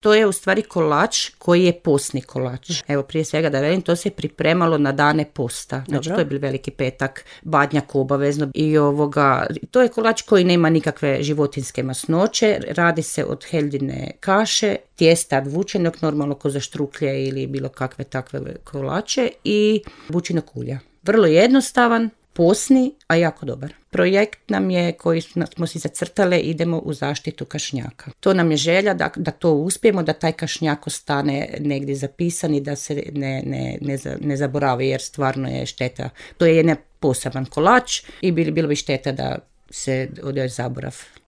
To je u stvari kolač koji je postni kolač. Evo, prije svega da velim, to se pripremalo na dane posta. Znači, to je bil Veliki petak, badnjak obavezno. I to je kolač koji nema nikakve životinjske masnoće. Radi se od heljine kaše, tijesta vučenog, normalno ko za štruklje ili bilo kakve takve kolače i bućinog ulja. Vrlo jednostavan, posni, a jako dobar. Projekt nam je, koji smo si zacrtale, idemo u zaštitu kašnjaka. To nam je želja da to uspijemo, da taj kašnjak ostane negdje zapisan i da se ne zaboravi, jer stvarno je šteta. To je jedan poseban kolač i bilo bi šteta da se ode zaborav.